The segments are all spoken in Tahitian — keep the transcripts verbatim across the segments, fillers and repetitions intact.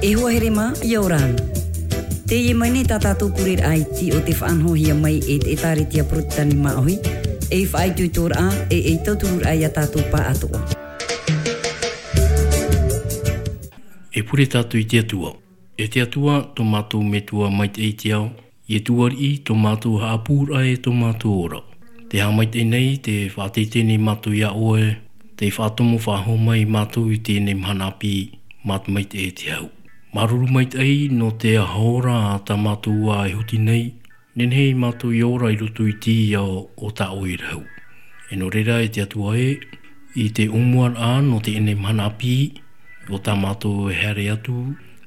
E hoa here mā, ʻia ora na. Teie mai nei tā tātou pureraʻa iti o te faʻanahohia mai e te ʻĒtārētia Porotetani Māʻohi, ei faʻaitoitoraʻa, e ei tautururaʻa ia tātou pāʻatoʻa. E pure tātou i te Atua. E te Atua, tō mātou Metua maitaʻi i te ao, ʻia tuariʻi tō mātou haʻapūraʻa e tō mātou ora. Tē haʻamaitaʻi nei, tē faʻateitei nei mātou iā ʻoe, tē faʻatomo faʻahou mai mātou i teie nei mahana ʻāpī, mā te maitaʻi e te hau. Māuruuru maitaʻi nō te aho ra tā mātou ā e huti nei, nehenehe mātou e ora i roto i te ao o tā ʻoe rahu. E nō reira e te Atua ē, i te ʻōmuaraʻa nō teie nei mahana ʻāpī, o tā mātou e haere atu,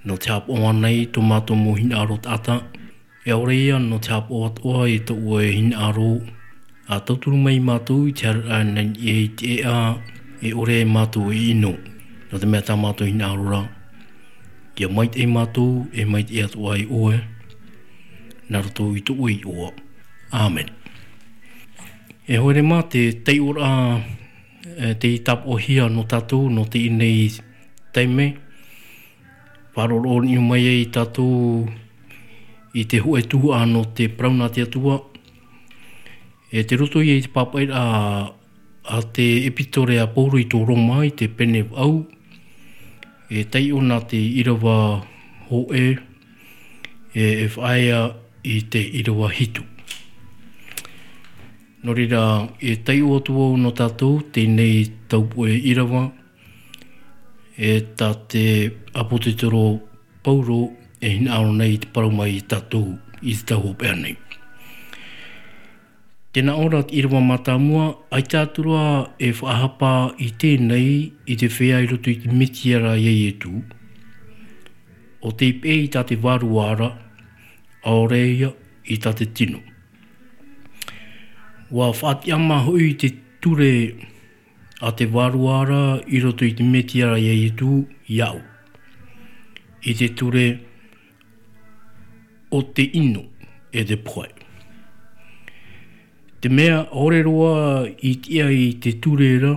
nō te haʻapaʻo ānei tō mātou mau hinaʻaro taʻata, e ʻaore ia nō te haʻapaʻo atoʻa i tō ʻoe hinaʻaro, ʻa tauturu mai mātou i te haereraʻa nei i te ʻēʻa, e ʻore mātou e ʻino. Nō te mea tā mātou hinaʻaro ra, ʻia maitaʻi mātou, e maitaʻi atoʻa ai ʻoe, nā roto i tō ʻoe iʻoa. ʻĀmene. E hoa here mā, te taiʻoraʻa, e, tei tāpaʻohia nō tātou, nō teie nei taime, faʻaroʻo mai ai tātou i te hōʻē tuhaʻa nō te parau nā te Atua. E tei roto ia i te pāpaʻiraʻa a te ʻEpitore a Paulo i tō Roma i te pene vaʻu, e taiʻo nā te ʻīrava hōʻē, e, e faʻaea i te ʻīrava hitu. Nō reira, e taiʻo atu vau nō tātou, teie nei taupoʻe ʻīrava, e tā te ʻāpōsetolo Paulo e hinaʻaro nei i te parau mai ia tātou i te tau hopeʻa nei. Tē nā ʻō ra te ʻīrava mātāmua, ʻaita atu ra e faʻahapa i teie nei i te feiā i roto i te Mesia ra ia Ietu, ʻo tei peʻe i tā te vārua ra, ʻaore ia i tā te tino. ʻUa faʻatiʻamā hoʻi te ture a te vārua ra i roto i te Mesia ra ia Ietu iāʻu. I te ture o te ʻino, e te pohe. Te mea ʻaore roa i tiʻa i te ture ra,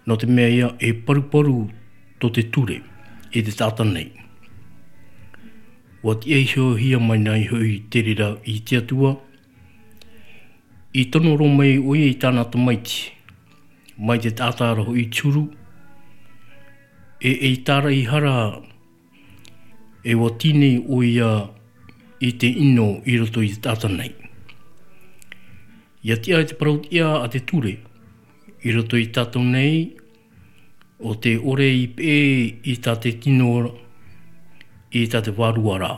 nō te mea ia e paruparu tō te ture, i te taʻata nei. ʻUa tiʻa ihohia mai nei hoʻi te reira i te Atua, i tono roa mai ʻoia i tāna tamaiti, mai te taʻata ra hoʻi te huru, e, e tāraʻi hara, e ʻua tini ʻoia i te ʻino i roto i te taʻata nei. ʻIa tiʻa i te parau tiʻa a te ture, i roto i tātou nei, ʻo tē ʻore i peʻe i tā te tino ra, i tā te vārua ra.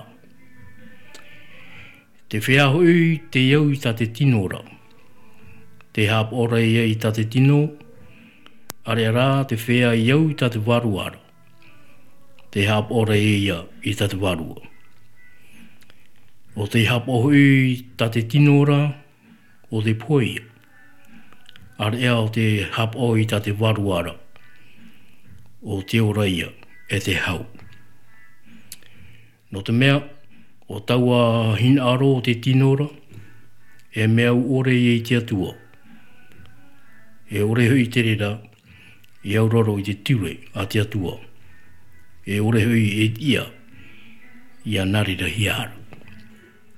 Te feiā hoʻi tei au i tā te tino ra. Tē haʻapaʻo ra ia i tā te tino, ʻāreʻa rā te feiā i au i tā te vārua ra. Tē haʻapaʻo ra ia i tā te vārua. ʻO tē haʻapaʻo hoʻi i tā te tino ra, ʻo te pohe ia. ʻĀreʻa ʻo tē haʻapaʻo i tā te vārua ra, ʻo te ora ia, e te hau. Nō te mea, ʻo taua hinaʻaro o te tino ra, e mea ʻore ia i te Atua. E ʻore hoʻi te reira, i auraro i te ture a te Atua. E ʻore hoʻi e tiʻa, ʻia nā reira hia hara.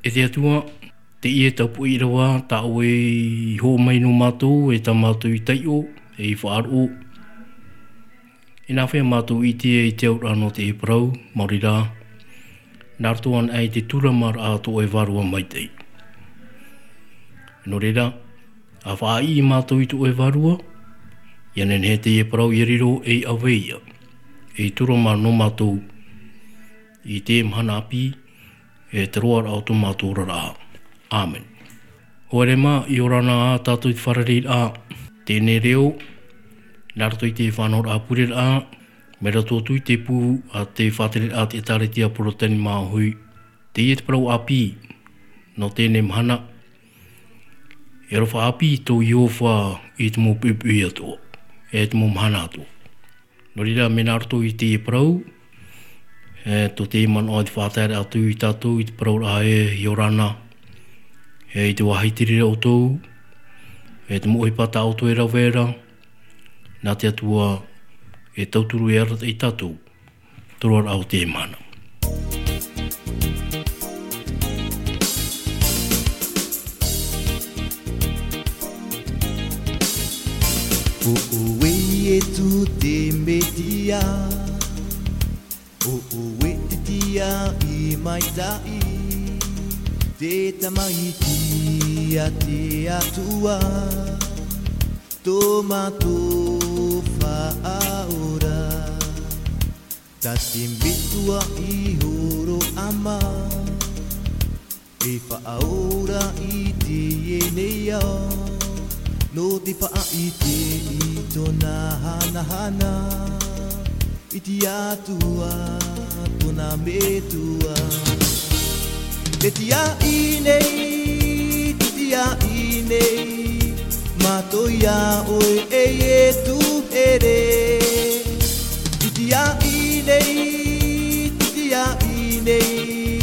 E te Atua, teie taupoʻe ʻīrava, tā ʻoe i hoʻo mai nō mātou, e tā mātou i taiʻo, e i faʻaroʻo. E nāfea mātou i ʻite i te auraʻa nō te parau, maori rā, nā roto anaʻe i te tūramaraʻa tō ʻoe vārua maitaʻi. Nō reira, ʻa faʻaʻī mātou i tō ʻoe vārua, ʻia nehenehe teie parau ʻia riro ei ʻave ia, ei tūrama nō mātou, i te mahana ʻāpī, e te roaraʻa o tō mātou oraraʻa. ʻĀmene. Hoa here mā, ʻia ora na ā tātou i te fārereiraʻa, teie nei reo, nā roto i te faʻanahoraʻa pureraʻa, mai roto atu i te pū a te faʻatereraʻa a te ʻĒtārētia Porotetani Māʻohi, teie te parau ʻāpī, nō teie nei mahana, e aroha ʻāpī tō Iehova i te mau poʻipoʻi atoʻa, e te mau mahana atoʻa. Nō reira, mea nā roto i teie parau, e, tō teie manaʻo i te faʻataeraʻa atu ia tātou i te parauraʻa ē, ʻia ora na, e, i te vāhi i te reira ʻoutou, e, te mau ʻohipa tā ʻoutou e rave ra, nā te Atua e tauturu e arataʻi ia tātou. te roaraʻa o te mahana. ʻO ʻoe Ietu te Mesia, ʻo ʻoe te tiaʻi maitaʻi, te tamaiti a te Atua, tō mātou Faʻaora. Tā te Metua i hōroʻa mai, e faʻaora i teie nei ao, nō te faʻaʻite i tōna hanahana, i te Atua tōna Metua. Te tiaʻi nei, te tiaʻi nei, mātou iā ʻoe e Ietu here. Te tiaʻi nei, te tiaʻi nei,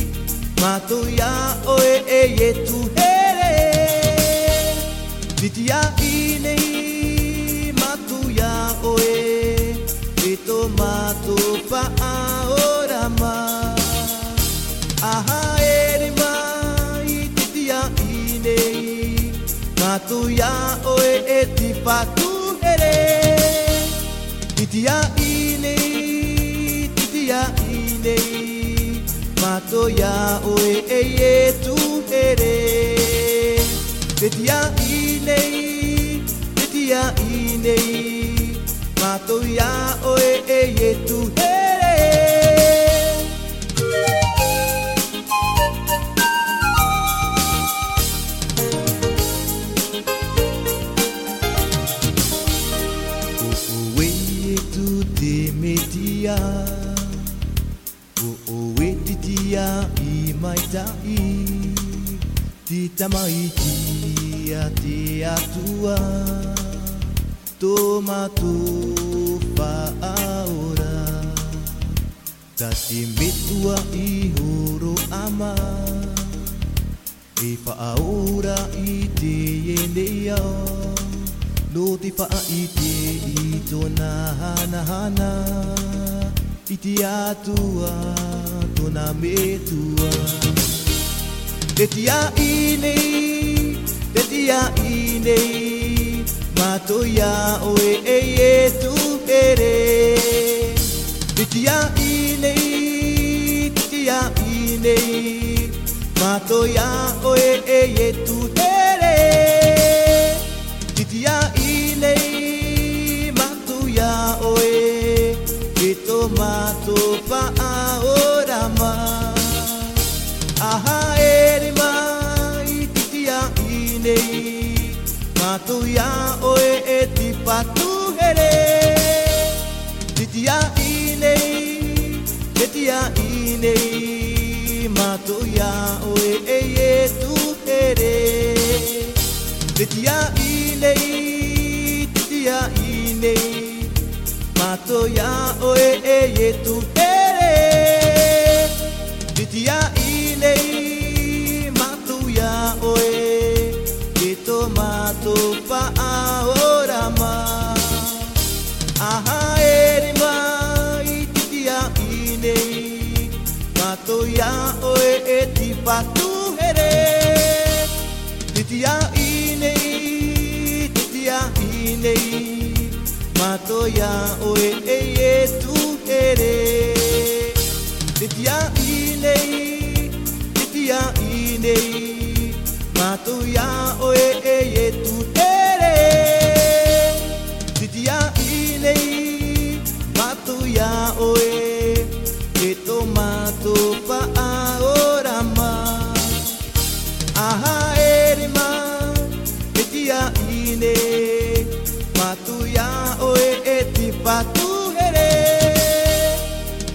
mātou iā ʻoe e Ietu here. Te tiaʻi nei, mātou iā ʻoe, e tō mātou Faʻaora mai. A haere mai te tiaʻi nei, mātou iā ʻoe e te Fatu here. Te tiaʻi nei, te tiaʻi nei, mātou iā ʻoe e Ietu here. Te tiaʻi nei, te tiaʻi nei, mātou iā ʻoe e Ietu here. ʻO ʻoe Ietu te Mesia, ʻo ʻoe te tiaʻi maitaʻi, te tamaiti a te Atua, tō mātou Faʻaora. Tā te Metua i hōroʻa mai, e faʻaora i teie nei ao, nō te faʻaʻite i tōna hanahana, i te Atua tōna Metua. Te tiaʻi nei, te tiaʻi nei, mātou iā ʻoe e Ietu here. Te tiaʻi nei, te tiaʻi nei, mātou iā ʻoe e Ietu here. Te tiaʻi nei, mātou iā ʻoe, e tō mātou Faʻaora mai. A haere mai te tiaʻi nei, mātou iā ʻoe e te Fatu here. Te tiaʻi nei, te tiaʻi nei, mātou iā ʻoe e Ietu here. Te tiaʻi nei, te tiaʻi nei, mātou iā ʻoe e Ietu here. Te tiaʻi nei, mātou iā ʻoe, e tō mātou Faʻaora mai. A haere mai te tiaʻi nei, mātou iā ʻoe e te Fatu here. Te tiaʻi nei, te tiaʻi nei, mātou iā ʻoe e Ietu here. Te tiaʻi nei, te tiaʻi nei, mātou iā ʻoe e Ietu here. Te tiaʻi nei, mātou iā ʻoe, e tō mātou Faʻaora mai. A haere mai te tiaʻi nei, mātou iā ʻoe e te Fatu here.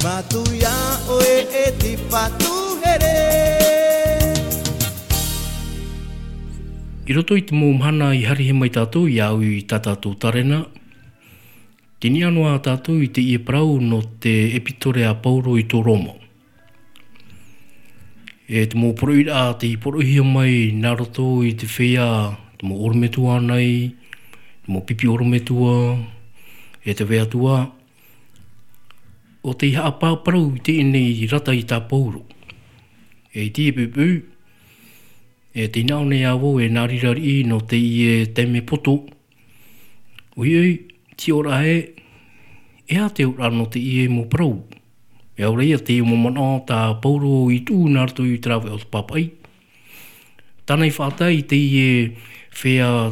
Mātou iā ʻoe e te Fatu here. I roto i te mau mahana i haere mai tātou i au i tā tātou tarena, tei niʻa noa tātou i teie parau nō te ʻepitore a Paulo i tō Roma. E te mau poroʻiraʻa tei poroʻihia mai nā roto i te feiā, te mau ʻorometua nei, te mau pipi ʻorometua, e te vea atu ā. ʻO tei haʻaparau i teie nei rata i tā Pauro. E i teie pupu, e tei nā ʻō nei ā vau e nā rira riʻi nō teie taime poto. ʻOiʻoi, te hiʻoraʻa ē, e aha te auraʻa nō teie mau parau? E ʻaore ia teie mau manaʻo tā Pauro i tuʻu nā roto i te rāveʻa o te pāpaʻi. Tāna i faʻatae i teie feiā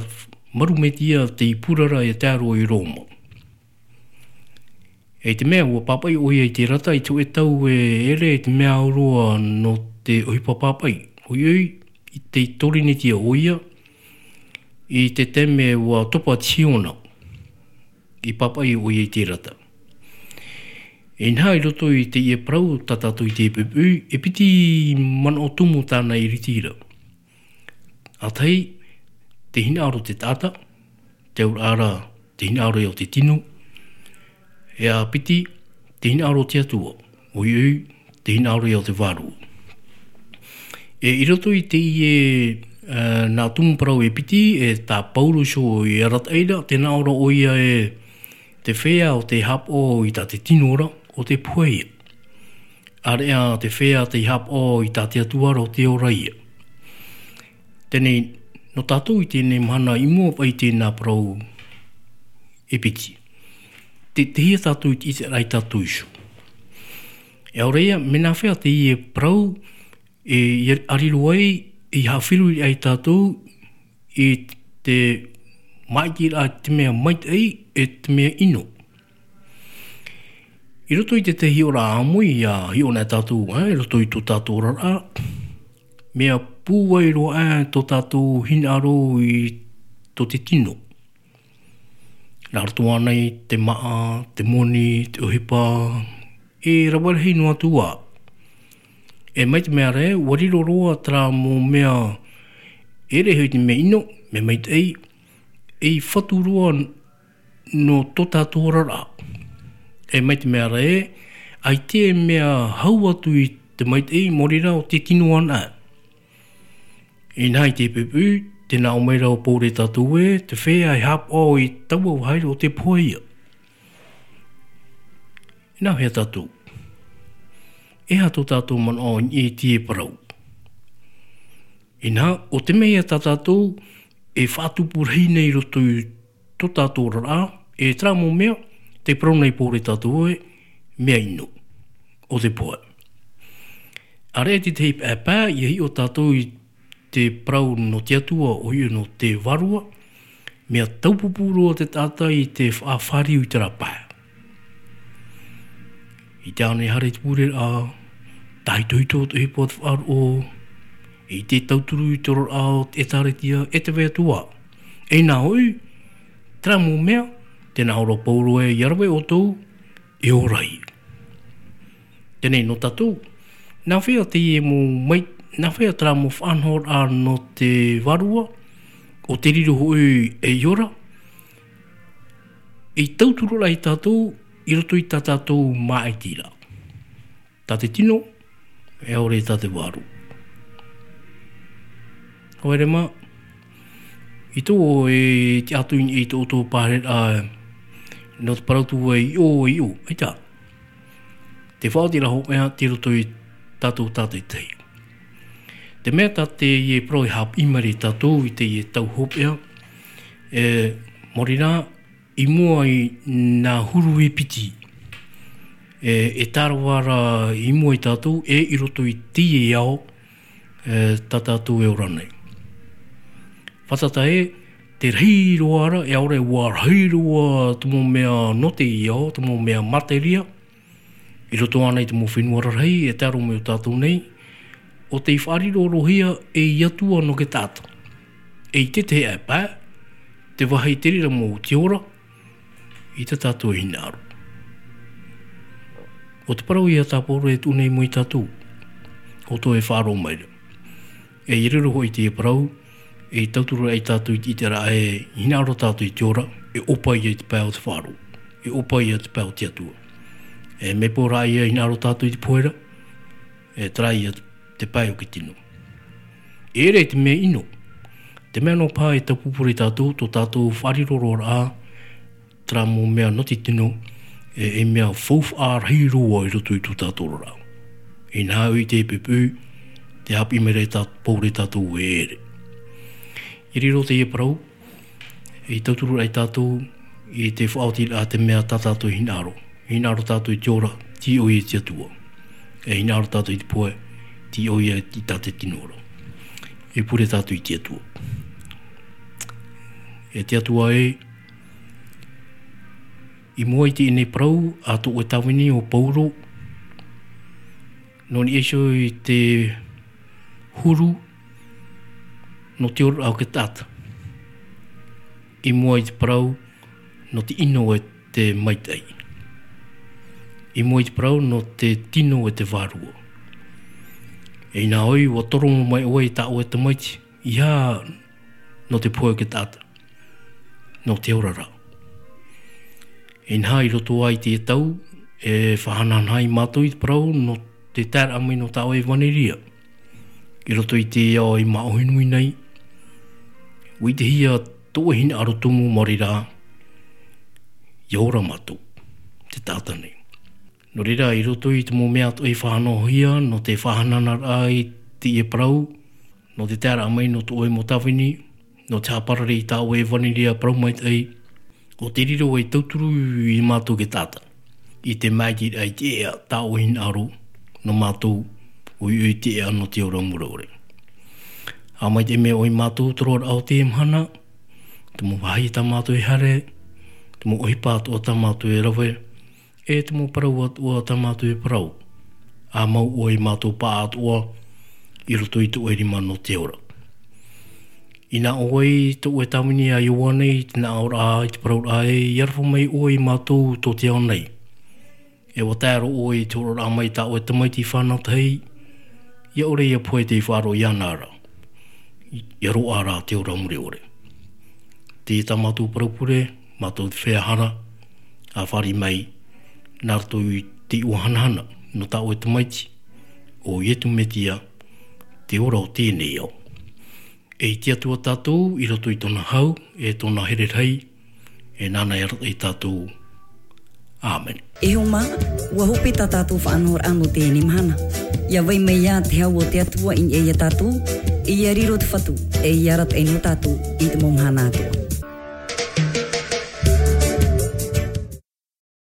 Maru Metia tei purara e tae roa i Roma. E i te mea, ʻua pāpaʻi ʻoia i te rata i te hōʻē tau e ʻere i te mea au roa nō te ʻohipa pāpaʻi. ʻOiʻoi, i te Torinetia ʻoia, i te taime ʻua topa te hiona, i pāpaʻi ʻoia i te rata. Inaha, i roto i teie parau tā tātou i teie pupu, e piti manaʻo tumu tāna i ritira. ʻA tahi, te hinaʻaro o te taʻata, te auraʻa ra, te hinaʻaro ia o te tino. E ʻa piti, te hinaʻaro o te Atua. ʻOiʻoi, te hinaʻaro ia o te Vārua. E i roto i teie, e, nā tumu parau e piti, e tā Pauro iho i arataʻi ra, tē nā ʻō ra ʻoia e te feiā ʻo tei haʻapaʻo i tā te tino ra, ʻo tei pohe ia. ʻĀreʻa te feiā tei haʻapaʻo i tā te Atua ra, ʻo tei ora ia. Teie nei, nō tātou i teie nei mahana i mua aʻe i teie nā parau e piti. Te, tei hea tātou i te ʻiteraʻa ia tātou iho? E ʻaore ia, mea nāfea teie parau, e, i ʻariro ai, i haʻafifi ai tātou, i te māʻitiraʻa i te mea maitaʻi, e te mea ʻino. I roto i te, te hiʻoraʻa ʻāmui, ʻia hiʻo na tātou, e, i roto i tō tātou oraraʻa, mea pūai roa, e, tō tātou hinaʻaro i tō te tino. Nā roto ānei te māʻa, te moni, te ʻohipa, e rave rahi noa atu ā. E mai te mea ra, ʻua riro roa terā mau mea, e ʻere hoʻi te mea ʻino, mea maitaʻi, ei fatu roa nō tō tātou oraraʻa. E mai te mea ra, ʻaita e mea hau atu i te maitaʻi, maori rā ʻo te tino anaʻe. Inaha i te pupu, tē nā ʻō mai ra ʻo Pauro ia tātou ē, te feiā e haʻapaʻo i taua vāhi ra ʻo tei pohe ia. Inaha, e tātou. E aha tō tātou manaʻo i teie parau? Inaha, ʻo te mea ia tā tātou e faʻatupu rahi nei i roto i tō tātou oraraʻa, e terā mau mea, tē parau nei Pauro ia tātou ē, mea ʻino, ʻo tei pohe. ʻAreʻa te tahi pae, ʻia hiʻo tātou i te parau nō te Atua, ʻoia nō te Vārua, mea taupupu roa te taʻata i te faʻafāriu i terā pae. I te ao nei haere i te pureraʻa, tāhitohito te ʻohipa o te faʻaroʻo, i te tauturu i te oraraʻa o te ʻĒtārētia, e te vai atu ā. E nā hoʻi, terā mau mea, tē nā ʻō ra ʻo Pauro ē, ʻia rave ʻoutou, e ora ia. Teie nei nō tātou, nāfea teie mau mai, nāfea terā mau faʻanahoraʻa nō te Vārua, ʻo tei riro hoʻi ei ora, ei tauturu ia tātou, i roto i tā tātou māʻitiraʻa. Tā te tino, e ʻaore tā te Vārua. Haere mā, i tō e tiʻa atu i, i tō, tō pāreraʻa, nō te parau atu ē i ʻō, i ʻō, ʻaita. Te faʻaoti ra hopeʻa tei roto ia tātou tātaʻitahi. Te mea tā teie parau e haʻapiʻi mai ra ia tātou i teie tau hopeʻa, e, maori rā, i mua i nā huru e piti, e, e tārava ra i mua ia tātou, e i roto i teie ao, e, tā tātou e ora nei. Fātata ē, tē rahi roa ra, e ʻaore ʻua rahi roa te mau mea nō teie ao, te mau mea materia, i roto ānei i te mau fenua rarahi, e tae roa mai ia tātou nei, ʻo tei faʻarirohia ei Atua nō te taʻata. E i te tahi pae, te vāhi te reira mau te ora, i tā tātou e hinaʻaro. ʻO te parau ia tā Pauro e tuʻu nei i mua ia tātou, ʻo tō e faʻaroʻo mai ra. E i riro hoʻi teie parau, e tauturu ai tātou i te ʻiteraʻa ē, hinaʻaro tātou i te ora, e ʻopa ia i te pae o te faʻaroʻo, e ʻopa ia i te pae o te Atua. E mea pō rā ia hinaʻaro tātou i te pohe ra, e terā ia te pae o te tino. E ʻere te mea ʻino, te mea nō paha e taupupu ra ia tātou, tō tātou faʻariroraʻa, terā mau mea nō te tino, e, e mea faufaʻa rahi roa i roto i tō tātou oraraʻa. Inaha ʻoe i te pupu, tē haʻapiʻi mai ra e tā-, Pauro ia tātou e ʻere. I riro teie parau, e tauturu ra ia tātou i te faʻaotiraʻa te mea tā tātou e hinaʻaro. E hinaʻaro tātou i te ora, tei ʻoia te Atua. E hinaʻaro tātou i te pohe, tei ʻoia i tā te tino ora. E pure tātou i te Atua. E te Atua e, i mua i teie nei parau a tō ʻoe tāvini ʻo Pauro, nō niʻa iho i te huru nō te oraraʻa o te taʻata. I mua i te parau nō te ʻino e te maitaʻi. I mua i te parau nō te tino e te vārua. E inaha ʻoe, ʻua toro mai ʻoe i tā ʻoe tamaiti, ʻeiaha nō te pohe o te taʻata, nō te oraraʻa. Inaha i roto i teie tau, e faʻahanahana ai mātou i te parau nō te taeraʻa mai nō tā ʻoe ʻevaneria. I roto i te ao i māʻohi nui nei, ʻua ʻitehia tō ʻoe hinaʻaro tumu mai reira, ʻia ora mātou, te taʻata nei. Nō reira, i roto i te mau mea atoʻa i faʻanahohia, nō te faʻahanahana i teie parau, nō te taeraʻa mai nō tō ʻoe mau tāvini, nō te haʻaparare i tā ʻoe ʻevaneria parau maitaʻi, ʻo tē riro ei tauturu ia mātou e te taʻata. I te maitaʻi i te ea tā ʻoe hinaʻaro, nō mātou, ʻoia hoʻi te ea nō te ora mure ʻore. ʻA maitaʻi mai ʻoe ia mātou, te roaraʻa o teie mahana, te mau vāhi tā mātou e haere, te mau ʻohipa atoʻa tā mātou e rave, e te mau parau atoʻa tā mātou e parau. ʻA mau ʻoe ia mātou paʻatoʻa, i roto i tō ʻoe rima nō te ora. Inaha ʻoe, tō ʻoe tāvini a Ioane, i te nā ʻō ra, i te parau ra ē, ʻia aroha mai ʻoe ia mātou tō te ao nei. E ʻua tae roa ʻoe i te hōroʻaraʻa mai tā ʻoe tamaiti fānatahi, ʻia ʻore ʻia pohe tei faʻaroʻo iāna ra. ʻIa roaʻa rā te ora mure ʻore. Teie tā mātou parau pure, mātou te feiā hara, ʻa fāriʻi mai, nā roto i te iʻoa hanahana, nō tā ʻoe tamaiti, ʻo Ietu Metia, te ora o teie nei ao. E i te Atua tātou, i roto i tōna hau, e tōna here rahi, e nāna e arataʻi ia tātou. ʻĀmene. E hoa mā, ʻua hope tā tātou faʻanahoraʻa nō teie nei mahana. ʻIa vai mai ā te hau o te Atua i niʻa ia tātou, e ʻia riro te Fatu, e ʻia arataʻi nō tātou, i te mau mahana atoʻa.